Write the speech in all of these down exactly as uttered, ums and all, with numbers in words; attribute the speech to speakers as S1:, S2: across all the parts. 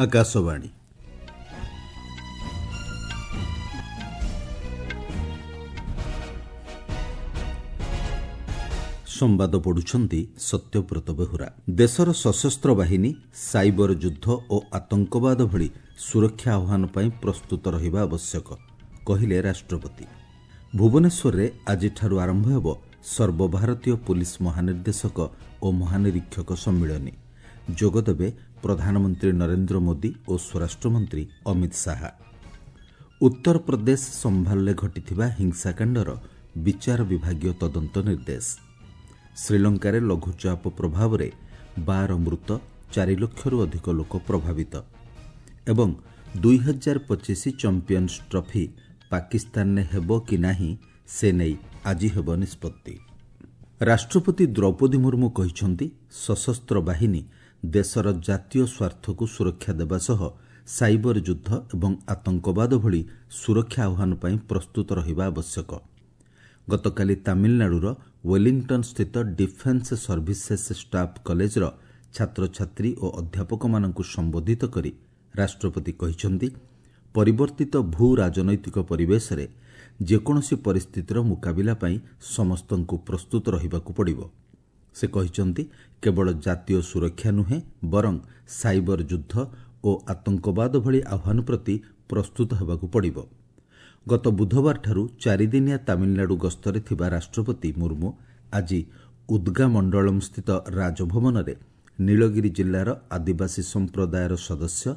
S1: ଆକାଶବାଣୀ। ସମ୍ବାଦ ପଢୁଛନ୍ତି ସତ୍ୟବ୍ରତ ବେହୁରା। ଦେଶର ସଶସ୍ତ୍ର ବାହିନୀ ସାଇବର ଯୁଦ୍ଧ ଓ ଆତଙ୍କବାଦ ଭଳି ସୁରକ୍ଷା ଆହ୍ୱାନ ପାଇଁ ପ୍ରସ୍ତୁତ ରହିବା ଆବଶ୍ୟକ, କହିଲେ ରାଷ୍ଟ୍ରପତି। ଭୁବନେଶ୍ୱରରେ ଆଜିଠାରୁ ଆରମ୍ଭ ହେବ ସର୍ବଭାରତୀୟ ପୁଲିସ୍ ମହାନିର୍ଦ୍ଦେଶକ ଓ ମହାନିରୀକ୍ଷକ ସମ୍ମିଳନୀ। ଯୋଗଦେବେ ପ୍ରଧାନମନ୍ତ୍ରୀ ନରେନ୍ଦ୍ର ମୋଦି ଓ ସ୍ୱରାଷ୍ଟ୍ରମନ୍ତ୍ରୀ ଅମିତ ଶାହା। ଉତ୍ତରପ୍ରଦେଶ ସମ୍ଭାଲରେ ଘଟିଥିବା ହିଂସାକାଣ୍ଡର ବିଚାର ବିଭାଗୀୟ ତଦନ୍ତ ନିର୍ଦ୍ଦେଶ। ଶ୍ରୀଲଙ୍କାରେ ଲଘୁଚାପ ପ୍ରଭାବରେ ବାର ମୃତ, ଚାରି ଲକ୍ଷରୁ ଅଧିକ ଲୋକ ପ୍ରଭାବିତ। ଏବଂ ଦୁଇହଜାର ପଚିଶ ଚାମ୍ପିୟନ୍ସ ଟ୍ରଫି ପାକିସ୍ତାନରେ ହେବ କି ନାହିଁ ସେ ନେଇ ଆଜି ହେବ ନିଷ୍ପତ୍ତି। ରାଷ୍ଟ୍ରପତି ଦ୍ରୌପଦୀ ମୁର୍ମୁ କହିଛନ୍ତି, ସଶସ୍ତ୍ର ବାହିନୀ ଦେଶର ଜାତୀୟ ସ୍ୱାର୍ଥକୁ ସୁରକ୍ଷା ଦେବା ସହ ସାଇବର ଯୁଦ୍ଧ ଏବଂ ଆତଙ୍କବାଦ ଭଳି ସୁରକ୍ଷା ଆହ୍ୱାନ ପାଇଁ ପ୍ରସ୍ତୁତ ରହିବା ଆବଶ୍ୟକ। ଗତକାଲି ତାମିଲନାଡୁର ୱେଲିଂଟନ୍ସ୍ଥିତ ଡିଫେନ୍ସ ସର୍ଭିସେସ୍ ଷ୍ଟାଫ୍ କଲେଜର ଛାତ୍ରଛାତ୍ରୀ ଓ ଅଧ୍ୟାପକମାନଙ୍କୁ ସମ୍ବୋଧିତ କରି ରାଷ୍ଟ୍ରପତି କହିଛନ୍ତି, ପରିବର୍ତ୍ତିତ ଭୂ ରାଜନୈତିକ ପରିବେଶରେ ଯେକୌଣସି ପରିସ୍ଥିତିର ମୁକାବିଲା ପାଇଁ ସମସ୍ତଙ୍କୁ ପ୍ରସ୍ତୁତ ରହିବାକୁ ପଡ଼ିବ। ସେ କହିଛନ୍ତି, କେବଳ ଜାତୀୟ ସୁରକ୍ଷା ନୁହେଁ ବରଂ ସାଇବର ଯୁଦ୍ଧ ଓ ଆତଙ୍କବାଦ ଭଳି ଆହ୍ୱାନ ପ୍ରତି ପ୍ରସ୍ତୁତ ହେବାକୁ ପଡ଼ିବ। ଗତ ବୁଧବାରଠାରୁ ଚାରିଦିନିଆ ତାମିଲନାଡୁ ଗସ୍ତରେ ଥିବା ରାଷ୍ଟ୍ରପତି ମୁର୍ମୁ ଆଜି ଉଦ୍ଗାମଣ୍ଡଳମ୍ସ୍ଥିତ ରାଜଭବନରେ ନୀଳଗିରି ଜିଲ୍ଲାର ଆଦିବାସୀ ସମ୍ପ୍ରଦାୟର ସଦସ୍ୟ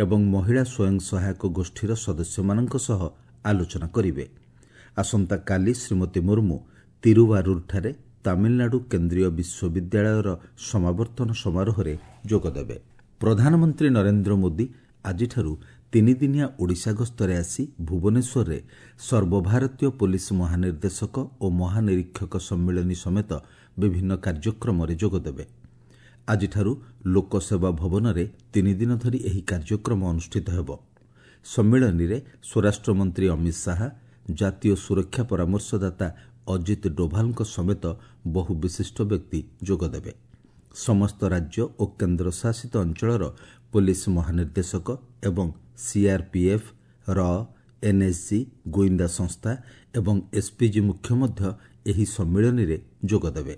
S1: ଏବଂ ମହିଳା ସ୍ୱୟଂ ସହାୟକ ଗୋଷ୍ଠୀର ସଦସ୍ୟମାନଙ୍କ ସହ ଆଲୋଚନା କରିବେ। ଆସନ୍ତାକାଲି ଶ୍ରୀମତୀ ମୁର୍ମୁ ତିରୁବାରୁରଠାରେ ତାମିଲନାଡୁ କେନ୍ଦ୍ରୀୟ ବିଶ୍ୱବିଦ୍ୟାଳୟର ସମାବର୍ତ୍ତନ ସମାରୋହରେ ଯୋଗଦେବେ। ପ୍ରଧାନମନ୍ତ୍ରୀ ନରେନ୍ଦ୍ର ମୋଦି ଆଜିଠାରୁ ତିନିଦିନିଆ ଓଡ଼ିଶା ଗସ୍ତରେ ଆସି ଭୁବନେଶ୍ୱରରେ ସର୍ବଭାରତୀୟ ପୋଲିସ ମହାନିର୍ଦ୍ଦେଶକ ଓ ମହାନିରୀକ୍ଷକ ସମ୍ମିଳନୀ ସମେତ ବିଭିନ୍ନ କାର୍ଯ୍ୟକ୍ରମରେ ଯୋଗଦେବେ। ଆଜିଠାରୁ ଲୋକସେବା ଭବନରେ ତିନିଦିନ ଧରି ଏହି କାର୍ଯ୍ୟକ୍ରମ ଅନୁଷ୍ଠିତ ହେବ। ସମ୍ମିଳନୀରେ ସ୍ୱରାଷ୍ଟ୍ରମନ୍ତ୍ରୀ ଅମିତ ଶାହା, ଜାତୀୟ ସୁରକ୍ଷା ପରାମର୍ଶଦାତା ଅଜିତ ଡୋଭାଲଙ୍କ ସମେତ ବହୁ ବିଶିଷ୍ଟ ବ୍ୟକ୍ତି ଯୋଗଦେବେ। ସମସ୍ତ ରାଜ୍ୟ ଓ କେନ୍ଦ୍ରଶାସିତ ଅଞ୍ଚଳର ପୋଲିସ ମହାନିର୍ଦ୍ଦେଶକ ଏବଂ ସିଆର୍ପିଏଫ୍, ର, ଏନ୍ଏସ୍ଜି, ଗୁଇନ୍ଦା ସଂସ୍ଥା ଏବଂ ଏସ୍ପିଜି ମୁଖ୍ୟ ମଧ୍ୟ ଏହି ସମ୍ମିଳନୀରେ ଯୋଗଦେବେ।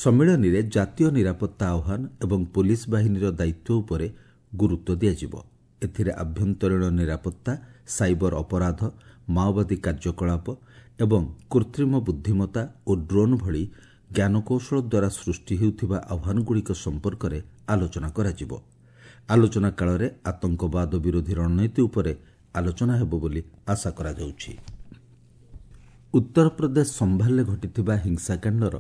S1: ସମ୍ମିଳନୀରେ ଜାତୀୟ ନିରାପତ୍ତା ଆହ୍ୱାନ ଏବଂ ପୋଲିସ ବାହିନୀର ଦାୟିତ୍ୱ ଉପରେ ଗୁରୁତ୍ୱ ଦିଆଯିବ। ଏଥିରେ ଆଭ୍ୟନ୍ତରୀଣ ନିରାପତ୍ତା, ସାଇବର ଅପରାଧ, ମାଓବାଦୀ କାର୍ଯ୍ୟକଳାପ ଏବଂ କୃତ୍ରିମ ବୁଦ୍ଧିମତ୍ତା ଓ ଡ୍ରୋନ୍ ଭଳି ଜ୍ଞାନକୌଶଳ ଦ୍ୱାରା ସୃଷ୍ଟି ହେଉଥିବା ଆହ୍ୱାନଗୁଡ଼ିକ ସମ୍ପର୍କରେ ଆଲୋଚନା କରାଯିବ। ଆଲୋଚନା କାଳରେ ଆତଙ୍କବାଦ ବିରୋଧୀ ରଣନୀତି ଉପରେ ଆଲୋଚନା ହେବ ବୋଲି ଆଶା କରାଯାଉଛି। ଉତ୍ତରପ୍ରଦେଶ ସମ୍ଭାଲରେ ଘଟିଥିବା ହିଂସାକାଣ୍ଡର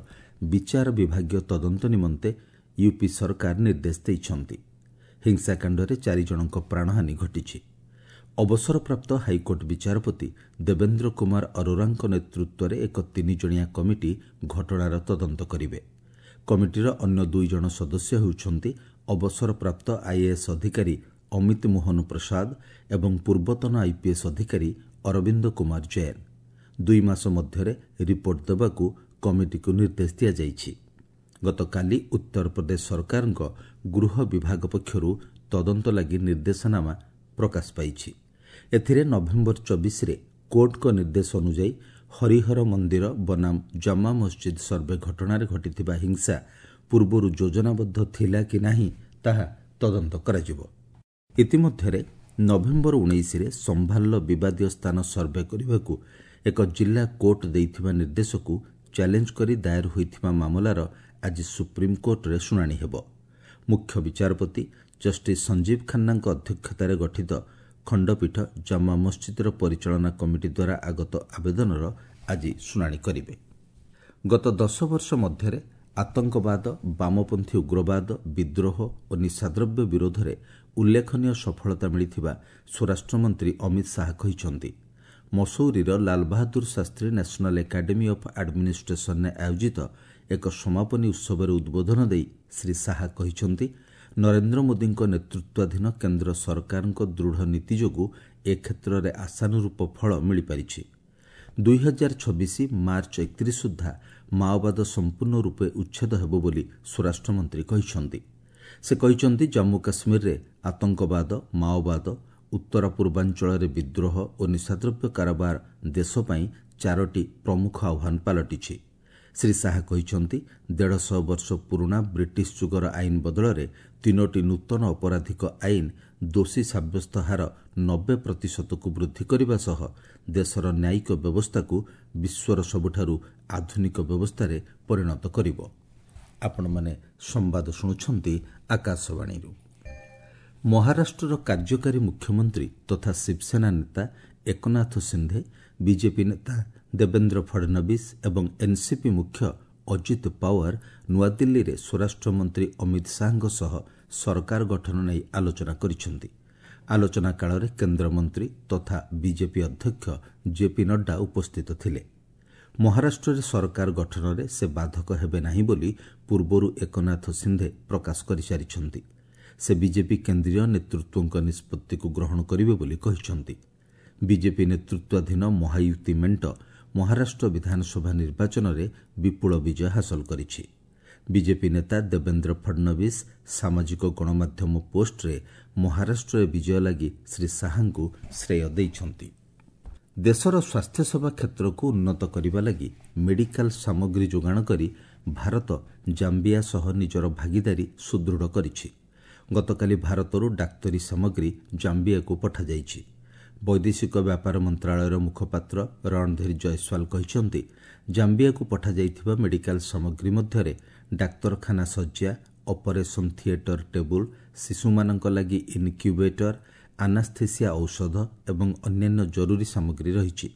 S1: ବିଚାର ବିଭାଗୀୟ ତଦନ୍ତ ନିମନ୍ତେ ୟୁପି ସରକାର ନିର୍ଦ୍ଦେଶ ଦେଇଛନ୍ତି। ହିଂସାକାଣ୍ଡରେ ଚାରିଜଣଙ୍କ ପ୍ରାଣହାନି ଘଟିଛି। ଅବସରପ୍ରାପ୍ତ ହାଇକୋର୍ଟ ବିଚାରପତି ଦେବେନ୍ଦ୍ର କୁମାର ଅରୋରାଙ୍କ ନେତୃତ୍ୱରେ ଏକ ତିନିଜଣିଆ କମିଟି ଘଟଣାର ତଦନ୍ତ କରିବେ। କମିଟିର ଅନ୍ୟ ଦୁଇ ଜଣ ସଦସ୍ୟ ହେଉଛନ୍ତି ଅବସରପ୍ରାପ୍ତ ଆଇଏଏସ୍ ଅଧିକାରୀ ଅମିତ ମୋହନ ପ୍ରସାଦ ଏବଂ ପୂର୍ବତନ ଆଇପିଏସ୍ ଅଧିକାରୀ ଅରବିନ୍ଦ କୁମାର ଜୈନ। ଦୁଇ ମାସ ମଧ୍ୟରେ ରିପୋର୍ଟ ଦେବାକୁ କମିଟିକୁ ନିର୍ଦ୍ଦେଶ ଦିଆଯାଇଛି। ଗତକାଲି ଉତ୍ତରପ୍ରଦେଶ ସରକାରଙ୍କ ଗୃହ ବିଭାଗ ପକ୍ଷରୁ ତଦନ୍ତ ଲାଗି ନିର୍ଦ୍ଦେଶନାମା ପ୍ରକାଶ ପାଇଛି। ଏଥିରେ ନଭେମ୍ବର ଚବିଶରେ କୋର୍ଟଙ୍କ ନିର୍ଦ୍ଦେଶ ଅନୁଯାୟୀ ହରିହର ମନ୍ଦିର ବନାମ ଜାମା ମସଜିଦ୍ ସର୍ଭେ ଘଟଣାରେ ଘଟିଥିବା ହିଂସା ପୂର୍ବରୁ ଯୋଜନାବଦ୍ଧ ଥିଲା କି ନାହିଁ ତାହା ତଦନ୍ତ କରାଯିବ। ଇତିମଧ୍ୟରେ ନଭେମ୍ବର ଉଣେଇଶରେ ସମ୍ଭାଲର ବିବାଦୀୟ ସ୍ଥାନ ସର୍ଭେ କରିବାକୁ ଏକ ଜିଲ୍ଲା କୋର୍ଟ ଦେଇଥିବା ନିର୍ଦ୍ଦେଶକୁ ଚ୍ୟାଲେଞ୍ଜ କରି ଦାଏର ହୋଇଥିବା ମାମଲାର ଆଜି ସୁପ୍ରିମକୋର୍ଟରେ ଶୁଣାଣି ହେବ। ମୁଖ୍ୟ ବିଚାରପତି ଜଷ୍ଟିସ୍ ସଞ୍ଜୀବ ଖାନ୍ନାଙ୍କ ଅଧ୍ୟକ୍ଷତାରେ ଗଠିତ ଖଣ୍ଡପୀଠ ଜାମା ମସଜିଦ୍ର ପରିଚାଳନା କମିଟି ଦ୍ୱାରା ଆଗତ ଆବେଦନର ଆଜି ଶୁଣାଣି କରିବେ। ଗତ ଦଶ ବର୍ଷ ମଧ୍ୟରେ ଆତଙ୍କବାଦ, ବାମପନ୍ଥୀ ଉଗ୍ରବାଦ, ବିଦ୍ରୋହ ଓ ନିଶାଦ୍ରବ୍ୟ ବିରୋଧରେ ଉଲ୍ଲେଖନୀୟ ସଫଳତା ମିଳିଥିବା ସ୍ୱରାଷ୍ଟ୍ରମନ୍ତ୍ରୀ ଅମିତ ଶାହା କହିଛନ୍ତି। ମସୌରୀର Lal Bahadur Shastri national academy of ଆଡମିନିଷ୍ଟ୍ରେସନରେ ଆୟୋଜିତ ଏକ ସମାପନୀ ଉତ୍ସବରେ ଉଦ୍ବୋଧନ ଦେଇ ଶ୍ରୀ ଶାହା କହିଛନ୍ତି, ନରେନ୍ଦ୍ର ମୋଦିଙ୍କ ନେତୃତ୍ୱାଧୀନ କେନ୍ଦ୍ର ସରକାରଙ୍କ ଦୃଢ଼ ନୀତି ଯୋଗୁଁ ଏ କ୍ଷେତ୍ରରେ ଆଶାନୁରୂପ ଫଳ ମିଳିପାରିଛି। ଦୁଇହଜାର ଛବିଶ ମାର୍ଚ୍ଚ ଏକତିରିଶ ସୁଦ୍ଧା ମାଓବାଦ ସମ୍ପୂର୍ଣ୍ଣ ରୂପେ ଉଚ୍ଛେଦ ହେବ ବୋଲି ସ୍ୱରାଷ୍ଟ୍ରମନ୍ତ୍ରୀ କହିଛନ୍ତି। ସେ କହିଛନ୍ତି, ଜାମ୍ମୁ କାଶ୍ମୀରରେ ଆତଙ୍କବାଦ, ମାଓବାଦ, ଉତ୍ତର ପୂର୍ବାଞ୍ଚଳରେ ବିଦ୍ରୋହ ଓ ନିଶାଦ୍ରବ୍ୟ କାରବାର ଦେଶ ପାଇଁ ଚାରୋଟି ପ୍ରମୁଖ ଆହ୍ୱାନ ପାଲଟିଛି। ଶ୍ରୀ ଶାହା କହିଛନ୍ତି, ଦେଢ଼ଶହ ବର୍ଷ ପୁରୁଣା ବ୍ରିଟିଶ ଯୁଗର ଆଇନ ବଦଳରେ ତିନୋଟି ନୂତନ ଅପରାଧିକ ଆଇନ ଦୋଷୀ ସାବ୍ୟସ୍ତ ହାର ନବେ ପ୍ରତିଶତକୁ ବୃଦ୍ଧି କରିବା ସହ ଦେଶର ନ୍ୟାୟିକ ବ୍ୟବସ୍ଥାକୁ ବିଶ୍ୱର ସବୁଠାରୁ ଆଧୁନିକ ବ୍ୟବସ୍ଥାରେ ପରିଣତ କରିବ। ଆପଣମାନେ ସମ୍ବାଦ ଶୁଣୁଛନ୍ତି ଆକାଶବାଣୀରୁ। ମହାରାଷ୍ଟ୍ରର କାର୍ଯ୍ୟକାରୀ ମୁଖ୍ୟମନ୍ତ୍ରୀ ତଥା ଶିବସେନା ନେତା ଏକନାଥ ସିନ୍ଧେ, ବିଜେପି ନେତା ଦେବେନ୍ଦ୍ର ଫଡନବିସ୍ ଏବଂ ଏନ୍ସିପି ମୁଖ୍ୟ ଅଜିତ ପାୱାର ନୂଆଦିଲ୍ଲୀରେ ସ୍ୱରାଷ୍ଟ୍ରମନ୍ତ୍ରୀ ଅମିତ ଶାହାଙ୍କ ସହ ସରକାର ଗଠନ ନେଇ ଆଲୋଚନା କରିଛନ୍ତି। ଆଲୋଚନା କାଳରେ କେନ୍ଦ୍ରମନ୍ତ୍ରୀ ତଥା ବିଜେପି ଅଧ୍ୟକ୍ଷ ଜେପି ନଡ୍ଡା ଉପସ୍ଥିତ ଥିଲେ। ମହାରାଷ୍ଟ୍ରରେ ସରକାର ଗଠନରେ ସେ ବାଧକ ହେବେ ନାହିଁ ବୋଲି ପୂର୍ବରୁ ଏକନାଥ ସିନ୍ଧେ ପ୍ରକାଶ କରିସାରିଛନ୍ତି। ସେ ବିଜେପି କେନ୍ଦ୍ରୀୟ ନେତୃତ୍ୱଙ୍କ ନିଷ୍ପତ୍ତିକୁ ଗ୍ରହଣ କରିବେ ବୋଲି କହିଛନ୍ତି। ବିଜେପି ନେତୃତ୍ୱାଧୀନ ମହାୟୁତି ମେଣ୍ଟ ମହାରାଷ୍ଟ୍ର ବିଧାନସଭା ନିର୍ବାଚନରେ ବିପୁଳ ବିଜୟ ହାସଲ କରିଛି। ବିଜେପି ନେତା ଦେବେନ୍ଦ୍ର ଫଡନବିସ୍ ସାମାଜିକ ଗଣମାଧ୍ୟମ ପୋଷ୍ଟରେ ମହାରାଷ୍ଟ୍ରରେ ବିଜୟ ଲାଗି ଶ୍ରୀ ଶାହାଙ୍କୁ ଶ୍ରେୟ ଦେଇଛନ୍ତି। ଦେଶର ସ୍ୱାସ୍ଥ୍ୟସେବା କ୍ଷେତ୍ରକୁ ଉନ୍ନତ କରିବା ଲାଗି ମେଡିକାଲ ସାମଗ୍ରୀ ଯୋଗାଣ କରି ଭାରତ ଜାମ୍ବିଆ ସହ ନିଜର ଭାଗିଦାରୀ ସୁଦୃଢ଼ କରିଛି। ଗତକାଲି ଭାରତରୁ ଡାକ୍ତରୀ ସାମଗ୍ରୀ ଜାମ୍ବିଆକୁ ପଠାଯାଇଛି। ବୈଦେଶିକ ବ୍ୟାପାର ମନ୍ତ୍ରଣାଳୟର ମୁଖପାତ୍ର ରଣଧୀର ଜୟସ୍ୱାଲ କହିଛନ୍ତି, ଜାମ୍ବିଆକୁ ପଠାଯାଇଥିବା ମେଡିକାଲ ସାମଗ୍ରୀ ମଧ୍ୟରେ ଡାକ୍ତରଖାନା ଶଯ୍ୟା, ଅପରେସନ୍ ଥିଏଟର ଟେବୁଲ, ଶିଶୁମାନଙ୍କ ଲାଗି ଇନ୍କ୍ୟୁବେଟର, ଆନାସ୍ଥେସିଆ ଔଷଧ ଏବଂ ଅନ୍ୟାନ୍ୟ ଜରୁରୀ ସାମଗ୍ରୀ ରହିଛି।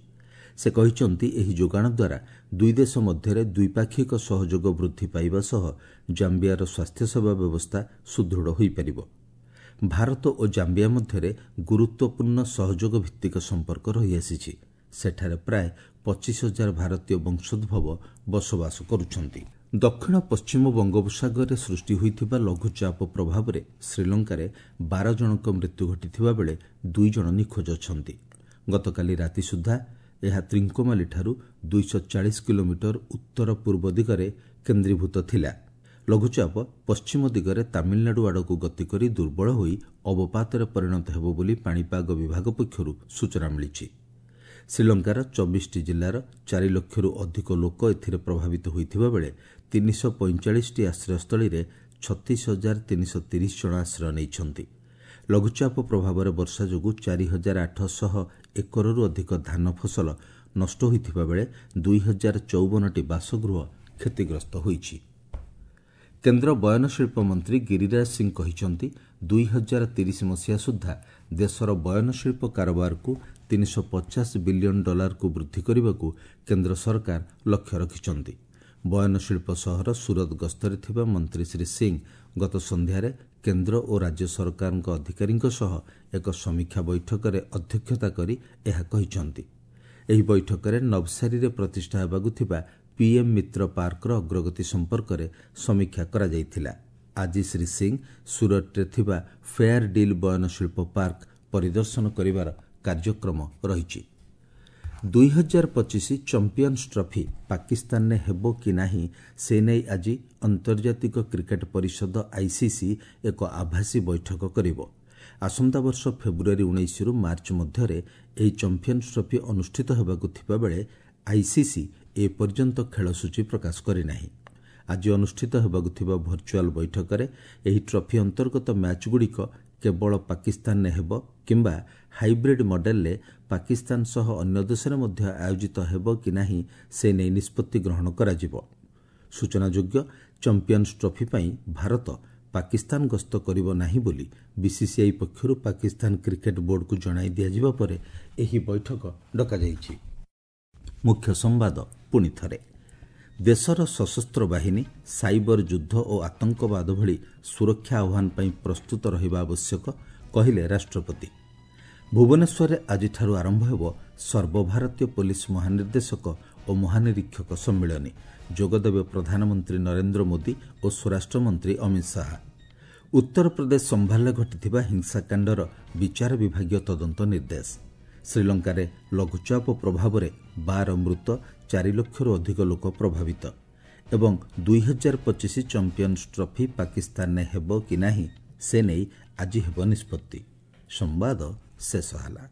S1: ସେ କହିଛନ୍ତି, ଏହି ଯୋଗାଣ ଦ୍ୱାରା ଦୁଇ ଦେଶ ମଧ୍ୟରେ ଦ୍ୱିପାକ୍ଷିକ ସହଯୋଗ ବୃଦ୍ଧି ପାଇବା ସହ ଜାମ୍ବିଆର ସ୍ୱାସ୍ଥ୍ୟସେବା ବ୍ୟବସ୍ଥା ସୁଦୃଢ଼ ହୋଇପାରିବ। ଭାରତ ଓ ଜାମ୍ବିଆ ମଧ୍ୟରେ ଗୁରୁତ୍ୱପୂର୍ଣ୍ଣ ସହଯୋଗ ଭିତ୍ତିକ ସମ୍ପର୍କ ରହିଆସିଛି। ସେଠାରେ ପ୍ରାୟ ପଚିଶ ହଜାର ଭାରତୀୟ ବଂଶୋଦ୍ଭବ ବସବାସ କରୁଛନ୍ତି। ଦକ୍ଷିଣ ପଶ୍ଚିମ ବଙ୍ଗୋପସାଗରରେ ସୃଷ୍ଟି ହୋଇଥିବା ଲଘୁଚାପ ପ୍ରଭାବରେ ଶ୍ରୀଲଙ୍କାରେ ବାର ଜଣଙ୍କ ମୃତ୍ୟୁ ଘଟିଥିବା ବେଳେ ଦୁଇ ଜଣ ନିଖୋଜ ଅଛନ୍ତି। ଗତକାଲି ରାତି ସୁଦ୍ଧା ଏହା ତ୍ରିଙ୍କୋମାଲିଠାରୁ ଦୁଇଶହ ଚାଳିଶ କିଲୋମିଟର ଉତ୍ତର ପୂର୍ବ ଦିଗରେ କେନ୍ଦ୍ରୀଭୂତ ଥିଲା। ଲଘୁଚାପ ପଶ୍ଚିମ ଦିଗରେ ତାମିଲନାଡୁ ଆଡ଼କୁ ଗତି କରି ଦୁର୍ବଳ ହୋଇ ଅବପାତରେ ପରିଣତ ହେବ ବୋଲି ପାଣିପାଗ ବିଭାଗ ପକ୍ଷରୁ ସୂଚନା ମିଳିଛି। ଶ୍ରୀଲଙ୍କାର ଚବିଶଟି ଜିଲ୍ଲାର ଚାରି ଲକ୍ଷରୁ ଅଧିକ ଲୋକ ଏଥିରେ ପ୍ରଭାବିତ ହୋଇଥିବା ବେଳେ ତିନିଶହ ପଇଁଚାଳିଶଟି ଆଶ୍ରୟସ୍ଥଳୀରେ ଛତିଶ ହଜାର ତିନିଶହ ତିରିଶ ଜଣ ଆଶ୍ରୟ ନେଇଛନ୍ତି। ଲଘୁଚାପ ପ୍ରଭାବରେ ବର୍ଷା ଯୋଗୁଁ ଚାରି ହଜାର ଆଠଶହ ଏକରରୁ ଅଧିକ ଧାନ ଫସଲ ନଷ୍ଟ ହୋଇଥିବା ବେଳେ ଦୁଇ ହଜାର ଚଉବନଟି ବାସଗୃହ କ୍ଷତିଗ୍ରସ୍ତ ହୋଇଛି। କେନ୍ଦ୍ର ବୟନଶିଳ୍ପ ମନ୍ତ୍ରୀ ଗିରିରାଜ ସିଂ କହିଛନ୍ତି, ଦୁଇ ହଜାର ତିରିଶ ମସିହା ସୁଦ୍ଧା ଦେଶର ବୟନଶିଳ୍ପ କାରବାରକୁ ତିନିଶହ ପଚାଶ ବିଲିୟନ ଡଲାରକୁ ବୃଦ୍ଧି କରିବାକୁ କେନ୍ଦ୍ର ସରକାର ଲକ୍ଷ୍ୟ ରଖିଛନ୍ତି। ବୟନଶିଳ୍ପ ସହର ସୁରତ ଗସ୍ତରେ ଥିବା ମନ୍ତ୍ରୀ ଶ୍ରୀ ସିଂ ଗତ ସନ୍ଧ୍ୟାରେ କେନ୍ଦ୍ର ଓ ରାଜ୍ୟ ସରକାରଙ୍କ ଅଧିକାରୀଙ୍କ ସହ ଏକ ସମୀକ୍ଷା ବୈଠକରେ ଅଧ୍ୟକ୍ଷତା କରି ଏହା କହିଛନ୍ତି। ଏହି ବୈଠକରେ ନବସାରୀରେ ପ୍ରତିଷ୍ଠା ହେବାକୁ ଥିବା ପିଏମ୍ ମିତ୍ର ପାର୍କର ଅଗ୍ରଗତି ସମ୍ପର୍କରେ ସମୀକ୍ଷା କରାଯାଇଥିଲା। ଆଜି ଶ୍ରୀ ସିଂ ସୁରଟରେ ଥିବା ଫେୟାର ଡିଲ୍ ବୟନଶିଳ୍ପ ପାର୍କ ପରିଦର୍ଶନ କରିବାର କାର୍ଯ୍ୟକ୍ରମ ରହିଛି। ଦୁଇ ହଜାର ପଚିଶ ଚମ୍ପିୟନ୍ସ ଟ୍ରଫି ପାକିସ୍ତାନରେ ହେବ କି ନାହିଁ ସେ ନେଇ ଆଜି ଆନ୍ତର୍ଜାତିକ କ୍ରିକେଟ ପରିଷଦ ଆଇସିସି ଏକ ଆଭାସୀ ବୈଠକ କରିବ। ଆସନ୍ତା ବର୍ଷ ଫେବୃଆରୀ ଉଣେଇଶରୁ ମାର୍ଚ୍ଚ ମଧ୍ୟରେ ଏହି ଚମ୍ପିୟନ୍ସ ଟ୍ରଫି ଅନୁଷ୍ଠିତ ହେବାକୁ ଥିବାବେଳେ ଆଇସିସି ଏପର୍ଯ୍ୟନ୍ତ ଖେଳସୂଚୀ ପ୍ରକାଶ କରିନାହିଁ। ଆଜି ଅନୁଷ୍ଠିତ ହେବାକୁ ଥିବା ଭର୍ଚୁଆଲ ବୈଠକରେ ଏହି ଟ୍ରଫି ଅନ୍ତର୍ଗତ ମ୍ୟାଚ୍ଗୁଡ଼ିକ କେବଳ ପାକିସ୍ତାନରେ ହେବ କିମ୍ବା ହାଇବ୍ରିଡ୍ ମଡେଲରେ ପାକିସ୍ତାନ ସହ ଅନ୍ୟ ଦେଶରେ ମଧ୍ୟ ଆୟୋଜିତ ହେବ କି ନାହିଁ ସେ ନେଇ ନିଷ୍ପତ୍ତି ଗ୍ରହଣ କରାଯିବ। ସୂଚନାଯୋଗ୍ୟ, ଚମ୍ପିୟନ୍ସ ଟ୍ରଫି ପାଇଁ ଭାରତ ପାକିସ୍ତାନ ଗସ୍ତ କରିବ ନାହିଁ ବୋଲି ବିସିସିଆଇ ପକ୍ଷରୁ ପାକିସ୍ତାନ କ୍ରିକେଟ ବୋର୍ଡକୁ ଜଣାଇ ଦିଆଯିବା ପରେ ଏହି ବୈଠକ ଡକାଯାଇଛି। ମୁଖ୍ୟ ସମ୍ବାଦ ପୁଣି ଥରେ, ଦେଶର ସଶସ୍ତ୍ର ବାହିନୀ ସାଇବର ଯୁଦ୍ଧ ଓ ଆତଙ୍କବାଦ ଭଳି ସୁରକ୍ଷା ଆହ୍ୱାନ ପାଇଁ ପ୍ରସ୍ତୁତ ରହିବା ଆବଶ୍ୟକ, କହିଲେ ରାଷ୍ଟ୍ରପତି। ଭୁବନେଶ୍ୱରରେ ଆଜିଠାରୁ ଆରମ୍ଭ ହେବ ସର୍ବଭାରତୀୟ ପୋଲିସ ମହାନିର୍ଦ୍ଦେଶକ ଓ ମହାନିରୀକ୍ଷକ ସମ୍ମିଳନୀ। ଯୋଗଦେବେ ପ୍ରଧାନମନ୍ତ୍ରୀ ନରେନ୍ଦ୍ର ମୋଦି ଓ ସ୍ୱରାଷ୍ଟ୍ରମନ୍ତ୍ରୀ ଅମିତ ଶାହା। ଉତ୍ତରପ୍ରଦେଶ ସମ୍ଭାଲରେ ଘଟିଥିବା ହିଂସାକାଣ୍ଡର ବିଚାର ବିଭାଗୀୟ ତଦନ୍ତ ନିର୍ଦ୍ଦେଶ। ଶ୍ରୀଲଙ୍କାରେ ଲଘୁଚାପ ପ୍ରଭାବରେ ବାର ମୃତ, ଚାରି ଲକ୍ଷରୁ ଅଧିକ ଲୋକ ପ୍ରଭାବିତ। ଏବଂ ଦୁଇ ହଜାର ପଚିଶ ଚମ୍ପିୟନ୍ସ ଟ୍ରଫି ପାକିସ୍ତାନରେ ହେବ କି ନାହିଁ ସେ ନେଇ ଆଜି ହେବ ନିଷ୍ପତ୍ତି। ସମ୍ବାଦ ଶେଷ ହେଲା।